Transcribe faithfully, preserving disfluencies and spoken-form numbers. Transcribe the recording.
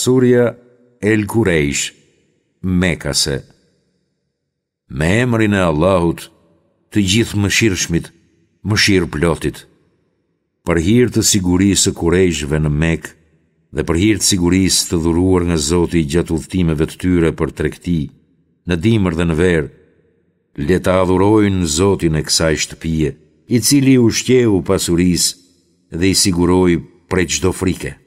Surja El Kurejsh, Mekase. Me emrin e Allahut, të Gjithëmëshirshmit, Mëshirëplotit. Për hir të sigurisë së Kurejshëve në Mekë dhe për hir të sigurisë të dhuruar nga Zoti gjatë udhëtimeve të tyre për tregti, në dimër dhe në verë, le ta adhurojnë Zotin e kësaj shtëpie, i cili i ushqeu pas urisë dhe i siguroi prej çdo frike.